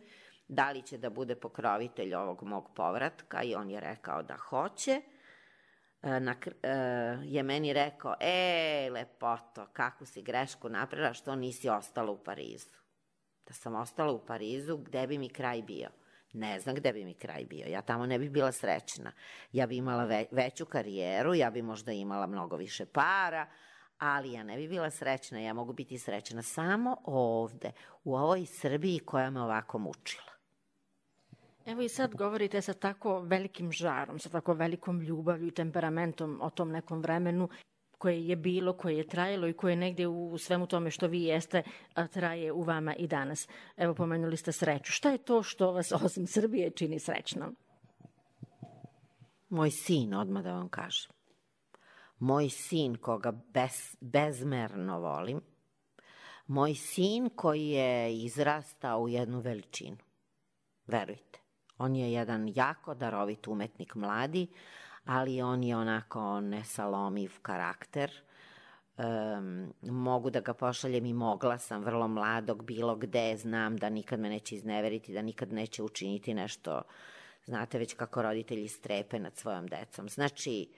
da li će da bude pokrovitelj ovog mog povratka i on je rekao da hoće, je meni rekao, lepoto, kakvu si grešku napravila što nisi ostala u Parizu. Da sam ostala u Parizu, gde bi mi kraj bio? Ne znam gde bi mi kraj bio, ja tamo ne bi bila srećna. Ja bi imala veću karijeru, ja bi možda imala mnogo više para, ali ja ne bi bila srećna, ja mogu biti srećna samo ovde, u ovoj Srbiji koja me ovako mučila. Evo i sad govorite sa tako velikim žarom, sa tako velikom ljubavlju i temperamentom o tom nekom vremenu koje je bilo, koje je trajalo i koje negde u svemu tome što vi jeste traje u vama i danas. Evo, pomenuli ste sreću. Šta je to što vas osim Srbije čini srećnom? Moj sin, odmah da vam kažem. Moj sin koga bezmerno volim. Moj sin koji je izrastao u jednu veličinu. Verujte. On je jedan jako darovit umetnik mladi, ali on je onako nesalomiv karakter. Mogu da ga pošaljem i mogla sam vrlo mladog, bilo gde, znam da nikad me neće izneveriti, da nikad neće učiniti nešto, znate već kako roditelji strepe nad svojom decom. Znači,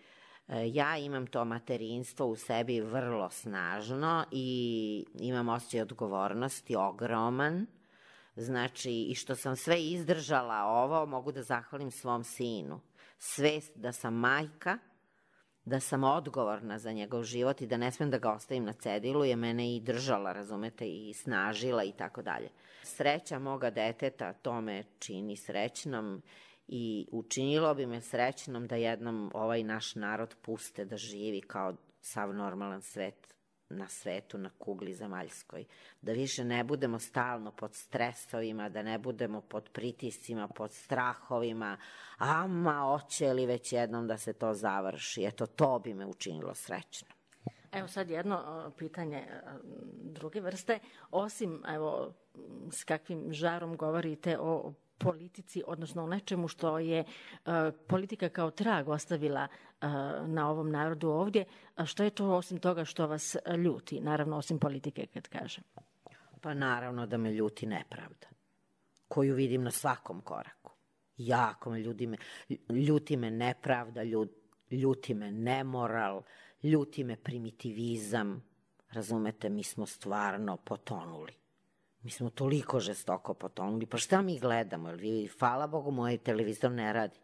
ja imam to materinstvo u sebi vrlo snažno i imam osjećaj odgovornosti ogroman. Znači, i što sam sve izdržala ovo, mogu da zahvalim svom sinu. Svest da sam majka, da sam odgovorna za njegov život i da ne smem da ga ostavim na cedilu je mene i držala, razumete, i snažila i tako dalje. Sreća moga deteta to me čini srećnom i učinilo bi me srećnom da jednom ovaj naš narod puste da živi kao sav normalan svet na svetu, na kugli zemaljskoj. Da više ne budemo stalno pod stresovima, da ne budemo pod pritiscima, pod strahovima. Ama, hoće li već jednom da se to završi? Eto, to bi me učinilo srećno. Evo sad jedno pitanje druge vrste. Osim, evo, s kakvim žarom govorite o politici, odnosno o nečemu što je politika kao trag ostavila na ovom narodu ovdje, što je to osim toga što vas ljuti, naravno osim politike kad kažem? Pa naravno da me ljuti nepravda, koju vidim na svakom koraku. Jako me ljuti me nepravda, ljuti me nemoral, ljuti me primitivizam. Razumete, mi smo stvarno potonuli. Mi smo toliko žestoko potonuli. Pa šta mi gledamo? Hvala Bogu, moj televizor ne radi.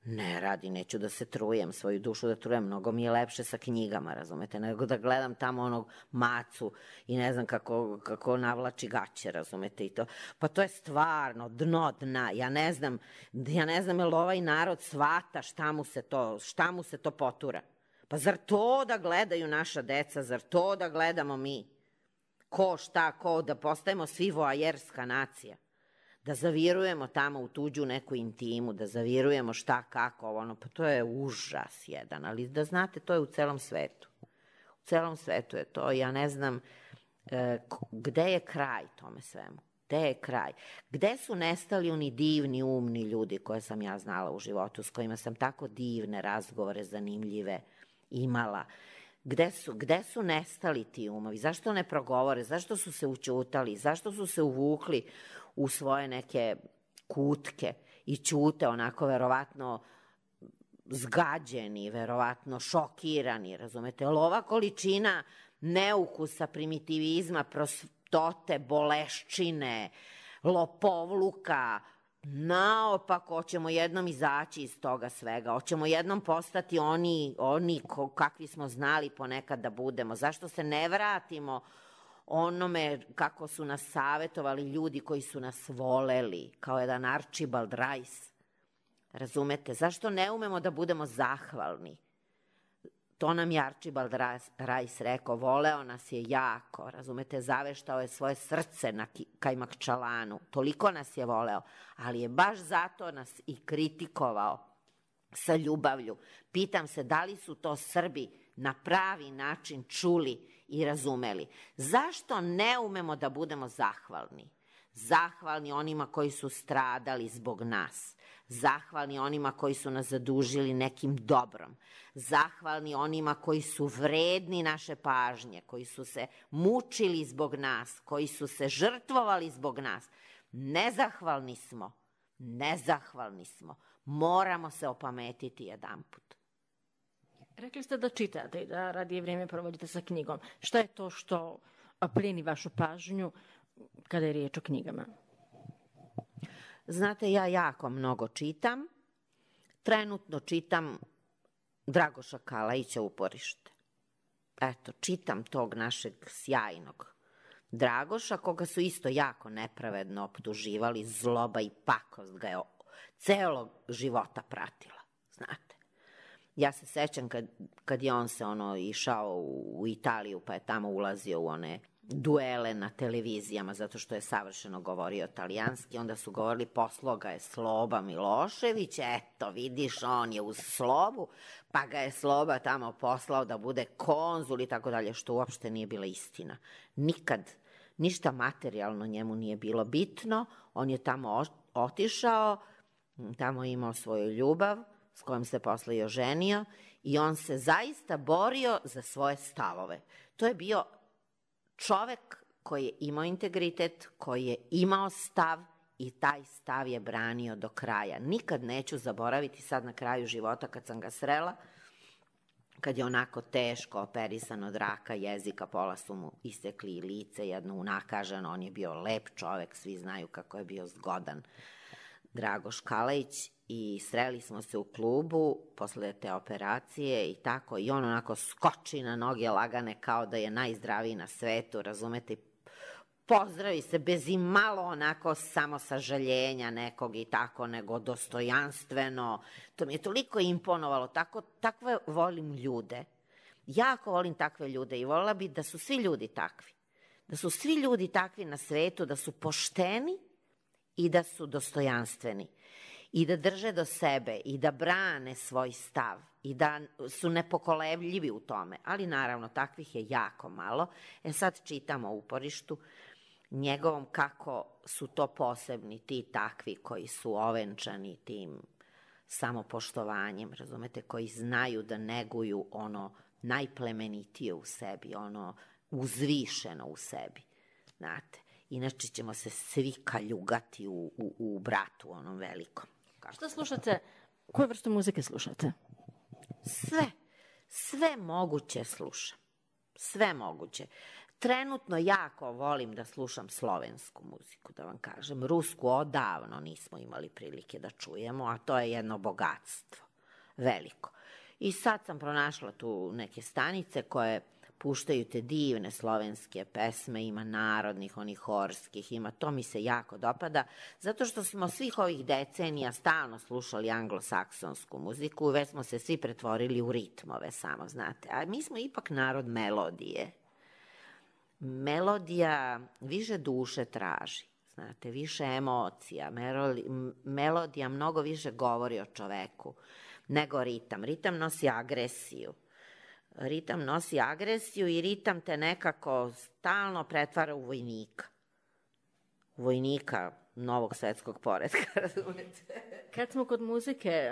Ne radi, neću da se trujem, svoju dušu da trujem. Mnogo mi je lepše sa knjigama, razumete, nego da gledam tamo onog Macu i ne znam kako navlači gaće, razumete, i to. Pa to je stvarno dno dna. Ja ne znam jel ovaj narod shvata šta mu se to potura. Pa zar to da gledaju naša deca, zar to da gledamo mi? Ko, šta, ko, da postajemo svi voajerska nacija, da zavirujemo tamo u tuđu neku intimu, da zavirujemo šta, kako, ono, pa to je užas jedan, ali da znate, to je u celom svetu. U celom svetu je to, ja ne znam gde je kraj tome svemu, gde je kraj, gde su nestali oni divni, umni ljudi koje sam ja znala u životu, s kojima sam tako divne razgovore, zanimljive imala. Gde su nestali ti umovi? Zašto ne progovore? Zašto su se ućutali? Zašto su se uvukli u svoje neke kutke i ćute onako verovatno zgađeni, verovatno šokirani, razumete? Ali ova količina neukusa, primitivizma, prostote, boleščine, lopovluka, naopako, hoćemo jednom izaći iz toga svega, hoćemo jednom postati oni kakvi smo znali ponekad da budemo. Zašto se ne vratimo onome kako su nas savetovali ljudi koji su nas voleli, kao jedan Archibald Rice, razumete? Zašto ne umemo da budemo zahvalni? To nam je Archibald Rice rekao, voleo nas je jako, razumete, zaveštao je svoje srce na Kajmakčalanu, toliko nas je voleo, ali je baš zato nas i kritikovao sa ljubavlju. Pitam se da li su to Srbi na pravi način čuli i razumeli. Zašto ne umemo da budemo zahvalni? Zahvalni onima koji su stradali zbog nas. Zahvalni onima koji su nas zadužili nekim dobrom. Zahvalni onima koji su vredni naše pažnje, koji su se mučili zbog nas, koji su se žrtvovali zbog nas. Nezahvalni smo. Nezahvalni smo. Moramo se opametiti jedanput. Rekli ste da čitate i da radije vrijeme provodite sa knjigom. Šta je to što plijeni vašu pažnju kada je riječ o knjigama? Znate, ja jako mnogo čitam. Trenutno čitam Dragoša Kalajića Uporište. Eto, čitam tog našeg sjajnog Dragoša, koga su isto jako nepravedno optuživali, zloba i pakost ga je celog života pratila, znate. Ja se sećam kad je on se išao u Italiju, pa je tamo ulazio u one duele na televizijama, zato što je savršeno govorio talijanski, onda su govorili poslao ga je Sloba Milošević, eto vidiš, on je uz Slobu, pa ga je Sloba tamo poslao da bude konzul i tako dalje, što uopšte nije bila istina. Nikad, ništa materijalno njemu nije bilo bitno, on je tamo otišao, tamo je imao svoju ljubav, s kojom se posle i oženio, i on se zaista borio za svoje stavove. To je bio čovek koji je imao integritet, koji je imao stav i taj stav je branio do kraja. Nikad neću zaboraviti sad na kraju života kad sam ga srela, kad je onako teško operisan od raka jezika, pola su mu isekli i lice, jedno unakaženo, on je bio lep čovek, svi znaju kako je bio zgodan Dragoš Kalajić, i sreli smo se u klubu posle te operacije i tako, i on onako skoči na noge lagane kao da je najzdraviji na svetu, razumete, pozdravi se bez i malo onako samo sažaljenja nekog i tako, nego dostojanstveno. To mi je toliko imponovalo, takve volim ljude. Jako volim takve ljude i volila bi da su svi ljudi takvi. Da su svi ljudi takvi na svetu, da su pošteni i da su dostojanstveni. I da drže do sebe i da brane svoj stav i da su nepokolebljivi u tome. Ali naravno, takvih je jako malo. Sad čitamo o Uporištu njegovom kako su to posebni ti takvi koji su ovenčani tim samopoštovanjem, razumete, koji znaju da neguju ono najplemenitije u sebi, ono uzvišeno u sebi, znate. Inače ćemo se svi kaljugati u bratu onom velikom. Šta slušate? Koju vrstu muzike slušate? Sve moguće slušam. Sve moguće. Trenutno jako volim da slušam slovensku muziku, da vam kažem. Rusku odavno nismo imali prilike da čujemo, a to je jedno bogatstvo. Veliko. I sad sam pronašla tu neke stanice koje puštaju te divne slovenske pesme, ima narodnih, onih horskih, ima, to mi se jako dopada, zato što smo svih ovih decenija stalno slušali anglosaksonsku muziku, već smo se svi pretvorili u ritmove samo, znate, a mi smo ipak narod melodije. Melodija više duše traži, znate, više emocija, melodija mnogo više govori o čoveku nego ritam. Ritam nosi agresiju. Ritam nosi agresiju i ritam te nekako stalno pretvara u vojnika. Vojnika novog svetskog poretka, razumete? Kad smo kod muzike,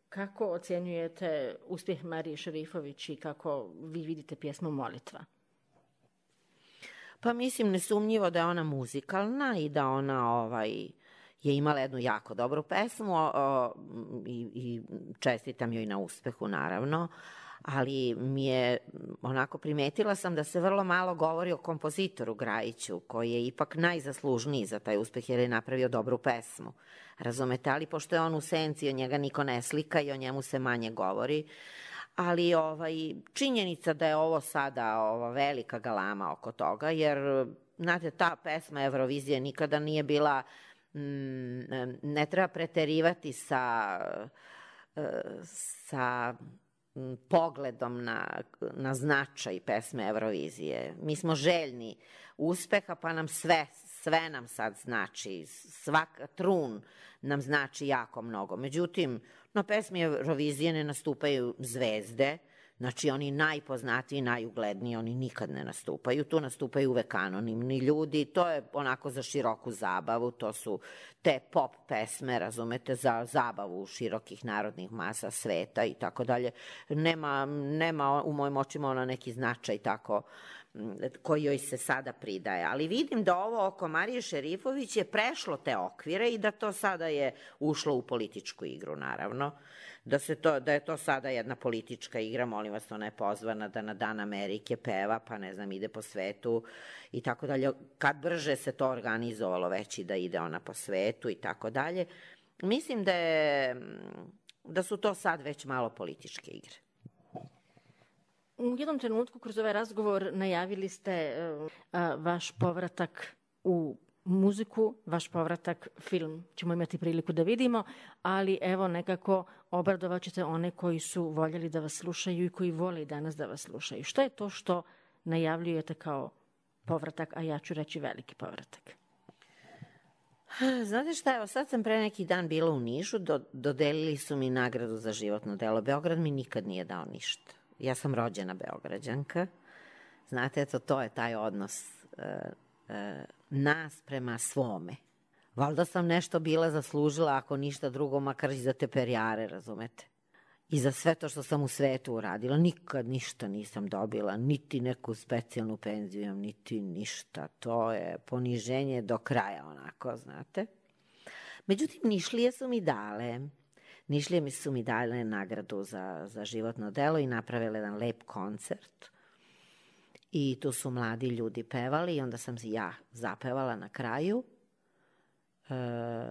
kako ocjenjujete uspjeh Marije Šerifović i kako vi vidite pjesmu Molitva? Pa mislim nesumnjivo da je ona muzikalna i da ona je imala jednu jako dobru pesmu i čestitam joj na uspehu, naravno. Ali mi je, onako primetila sam da se vrlo malo govori o kompozitoru Grajiću, koji je ipak najzaslužniji za taj uspeh jer je napravio dobru pesmu. Razumete, ali pošto je on u senci, o njega niko ne slika i o njemu se manje govori. Ali činjenica da je ovo sada velika galama oko toga, jer, znate, ta pesma Eurovizije nikada nije bila, ne treba preterivati sa pogledom na značaj pesme Eurovizije. Mi smo željni uspeha, pa nam sve nam sad znači, svaka trun nam znači jako mnogo. Međutim, na pesmi Eurovizije ne nastupaju zvezde, znači oni najpoznatiji, najugledniji, oni nikad ne nastupaju, tu nastupaju uvek anonimni ljudi, to je onako za široku zabavu, to su te pop pesme, razumete, za zabavu širokih narodnih masa sveta i tako dalje. Nema u mojim očima ona neki značaj tako koji joj se sada pridaje. Ali vidim da ovo oko Marije Šerifović je prešlo te okvire i da to sada je ušlo u političku igru, naravno. Da je to sada jedna politička igra, molim vas, ona je pozvana da na Dan Amerike peva, pa ne znam, ide po svetu i tako dalje. Kad brže se to organizovalo već i da ide ona po svetu i tako dalje. Mislim da su to sad već malo političke igre. U jednom trenutku kroz ovaj razgovor najavili ste vaš povratak u muziku, vaš povratak, film ćemo imati priliku da vidimo, ali evo nekako obradovat ćete one koji su voljeli da vas slušaju i koji vole i danas da vas slušaju. Šta je to što najavljujete kao povratak, a ja ću reći veliki povratak? Znate šta, evo sad sam pre neki dan bila u Nišu, dodelili su mi nagradu za životno delo. Beograd mi nikad nije dao ništa. Ja sam rođena Beograđanka. Znate, eto, to je taj odnos nas prema svome. Valjda sam nešto bila zaslužila, ako ništa drugo, makar i za te perijare, razumete? I za sve to što sam u svetu uradila. Nikad ništa nisam dobila, niti neku specijalnu penziju, niti ništa. To je poniženje do kraja, onako, znate. Međutim, Nišlije su mi dale. Nišlije su mi dale nagradu za životno delo i napravile jedan lep koncert. I tu su mladi ljudi pevali i onda sam ja zapevala na kraju.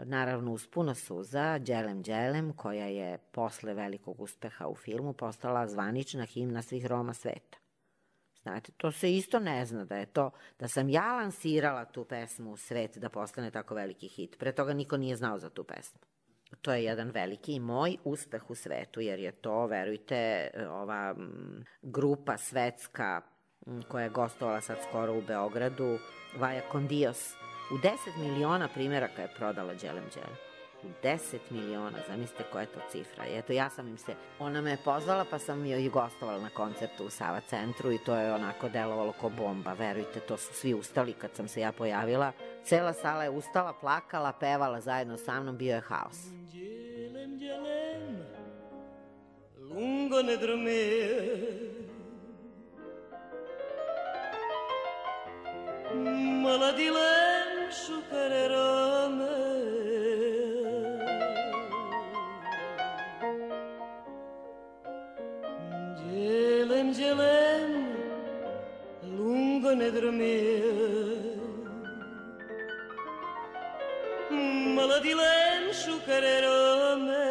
Naravno uz puno suza, Đelem Đelem, koja je posle velikog uspeha u filmu postala zvanična himna svih Roma sveta. Znate, to se isto ne zna da sam ja lansirala tu pesmu u svet da postane tako veliki hit. Pre toga niko nije znao za tu pesmu. To je jedan veliki moj uspeh u svetu, jer je to, verujte, ova grupa svetska koja je gostovala sad skoro u Beogradu, Vaja con Dios, u 10 miliona primjeraka je prodala Đelem Đelem. U 10 miliona, zamislite koja je to cifra. I eto, ona me je pozvala pa sam joj gostovala na koncertu u Sava centru i to je onako delovalo ko bomba. Verujte, to su svi ustali kad sam se ja pojavila. Cela sala je ustala, plakala, pevala zajedno sa mnom, bio je haos. Đelem, đelem, lungo ne dormir, maladilem šukarerame, Đelem, đelem, lungo ne dormir, maladilem šukarerame.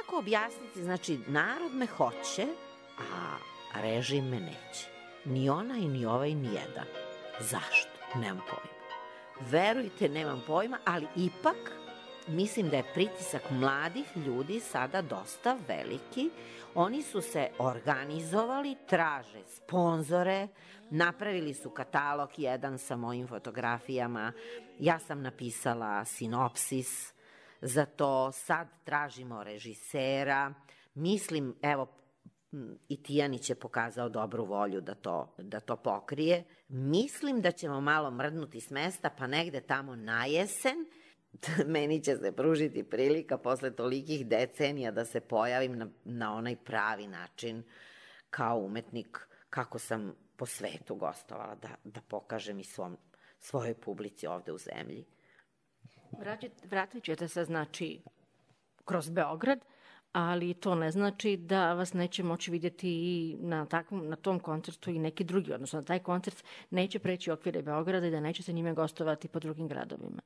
kako objasniti, znači narod me hoće, a režim me neće. Ni onaj, ni ovaj, ni jedan. Zašto? Nemam pojma. Verujte, nemam pojma, ali ipak mislim da je pritisak mladih ljudi sada dosta veliki. Oni su se organizovali, traže sponzore, napravili su katalog jedan sa mojim fotografijama. Ja sam napisala sinopsis za to, sad tražimo režisera. Mislim, evo, i Tijanić je pokazao dobru volju da to pokrije. Mislim da ćemo malo mrdnuti s mesta, pa negde tamo na jesen meni će se pružiti prilika posle tolikih decenija da se pojavim na onaj pravi način kao umetnik, kako sam po svetu gostovala, da pokažem i svojoj publici ovde u zemlji. Vratit ćete se, znači, kroz Beograd, ali to ne znači da vas neće moći vidjeti i na tom koncertu i neki drugi, odnosno taj koncert neće preći okvire Beograda i da neće se njime gostovati po drugim gradovima.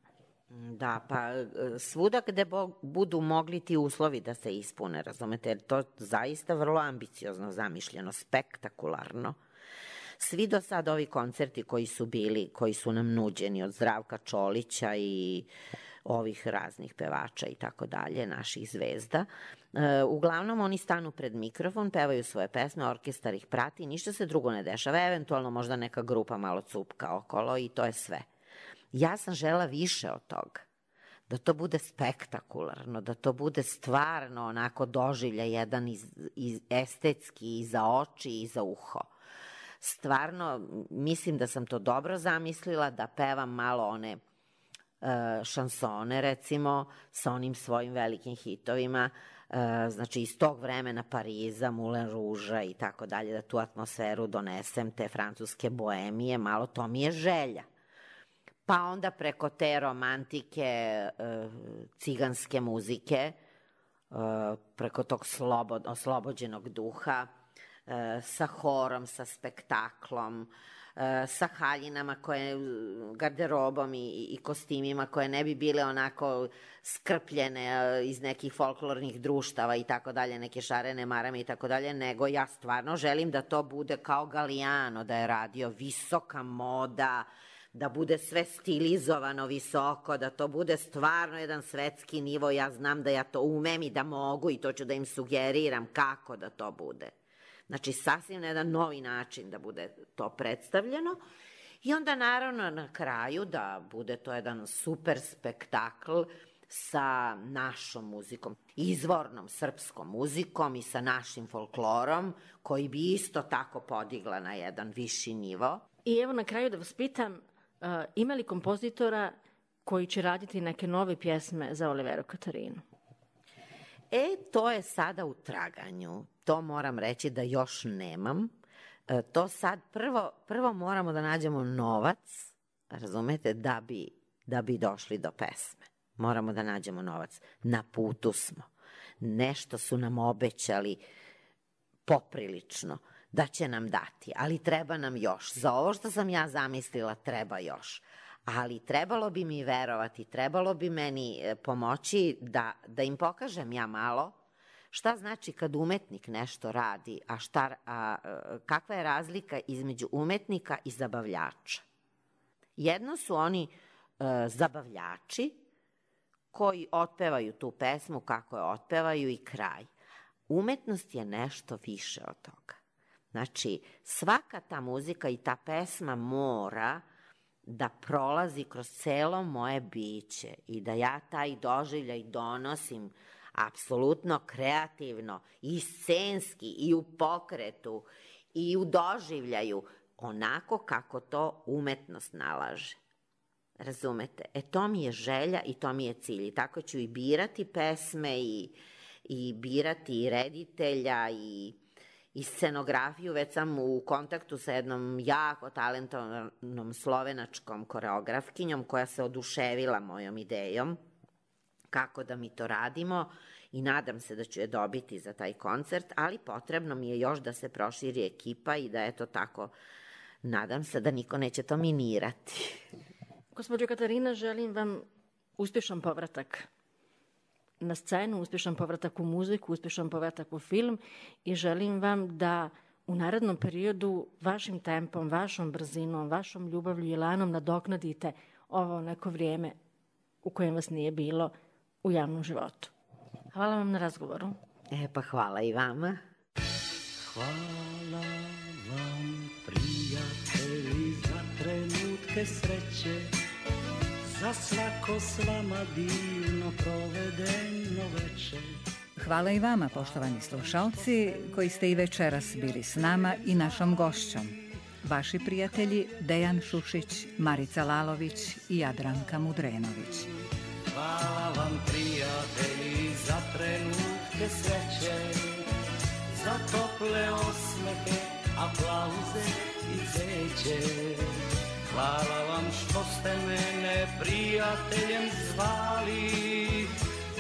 Da, pa svuda gde budu mogli ti uslovi da se ispune, razumete, jer to zaista vrlo ambiciozno zamišljeno, spektakularno. Svi do sad ovi koncerti koji su bili, koji su nam nuđeni od Zdravka Čolića i ovih raznih pevača i tako dalje, naših zvezda, uglavnom oni stanu pred mikrofon, pevaju svoje pesme, orkestar ih prati, ništa se drugo ne dešava, eventualno možda neka grupa malo cupka okolo i to je sve. Ja sam žela više od toga, da to bude spektakularno, da to bude stvarno onako doživlja jedan estetski i za oči i za uho. Stvarno, mislim da sam to dobro zamislila, da pevam malo one šansone, recimo, sa onim svojim velikim hitovima, znači iz tog vremena Pariza, Moulin Rouge-a i tako dalje, da tu atmosferu donesem, te francuske boemije, malo to mi je želja. Pa onda preko te romantike, ciganske muzike, preko tog oslobođenog duha, sa horom, sa spektaklom, sa haljinama, garderobom i kostimima koje ne bi bile onako skrpljene iz nekih folklornih društava i tako dalje, neke šarene marame i tako dalje, nego ja stvarno želim da to bude kao Galliano da je radio, visoka moda, da bude sve stilizovano visoko, da to bude stvarno jedan svetski nivo. Ja znam da ja to umem i da mogu i to ću da im sugeriram kako da to bude. Znači, sasvim na jedan novi način da bude to predstavljeno. I onda, naravno, na kraju da bude to jedan super spektakl sa našom muzikom, izvornom srpskom muzikom i sa našim folklorom, koji bi isto tako podigla na jedan viši nivo. I evo na kraju da vas pitam, ima li kompozitora koji će raditi neke nove pjesme za Oliveru Katarinu? To je sada u traganju. To moram reći da još nemam. To sad prvo moramo da nađemo novac, razumete, da bi došli do pesme. Moramo da nađemo novac. Na putu smo. Nešto su nam obećali poprilično da će nam dati, ali treba nam još. Za ovo što sam ja zamislila treba još. Ali trebalo bi mi verovati, trebalo bi meni pomoći da im pokažem ja malo šta znači kad umetnik nešto radi, kakva je razlika između umetnika i zabavljača. Jedno su oni zabavljači koji otpevaju tu pesmu kako je otpevaju i kraj. Umetnost je nešto više od toga. Znači, svaka ta muzika i ta pesma mora da prolazi kroz celo moje biće i da ja taj doživljaj donosim apsolutno kreativno i scenski i u pokretu i u doživljaju onako kako to umetnost nalaže. Razumete? To mi je želja i to mi je cilj. I tako ću i birati pesme i birati i reditelja i scenografiju. Već sam u kontaktu sa jednom jako talentovanom slovenačkom koreografkinjom koja se oduševila mojom idejom kako da mi to radimo i nadam se da ću je dobiti za taj koncert, ali potrebno mi je još da se proširi ekipa i da eto tako, nadam se da niko neće to minirati. Gospođo Katarina, želim vam uspješan povratak na scenu, uspješan povratak u muziku, uspješan povratak u film i želim vam da u narednom periodu vašim tempom, vašom brzinom, vašom ljubavlju i elanom nadoknadite ovo neko vrijeme u kojem vas nije bilo u javnom životu. Hvala vam na razgovoru. Pa hvala i vama. Hvala vam, prijatelji, za trenutke sreće, za svako s vama divno provedeno večer. Hvala i vama, poštovani slušalci, koji ste i večeras bili s nama i našom gošćom. Vaši prijatelji Dejan Šušić, Marica Lalović i Jadranka Mudrenović. Hvala vam, prijatelji, za trenutke sreće, za tople osmehe, aplauze i cveće. Hvala vam što ste mene prijateljem zvali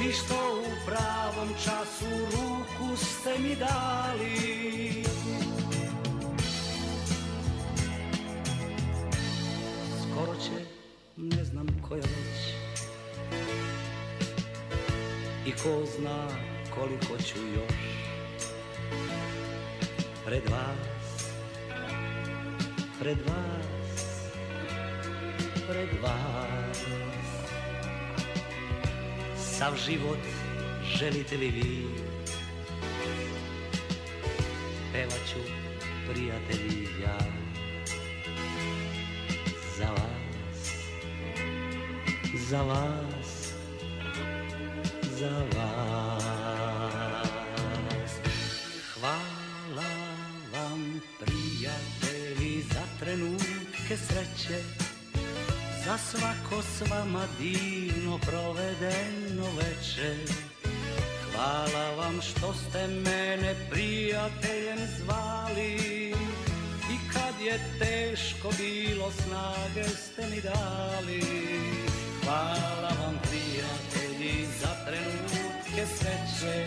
i što u pravom času ruku ste mi dali. Skoro će, ne znam koja već, i ko zna koliko ću još pred vas, pred vas, pred vas. Sav život želite li vi, pevat ću, prijatelji, ja za vas, za vas, za vas. Hvala vam, prijatelji, za trenutke sreće, za svako s vama divno provedeno večer. Hvala vam što ste mene prijateljem zvali i kad je teško bilo snage ste mi dali. Hvala vam, prijatelji, za trenutke sreće.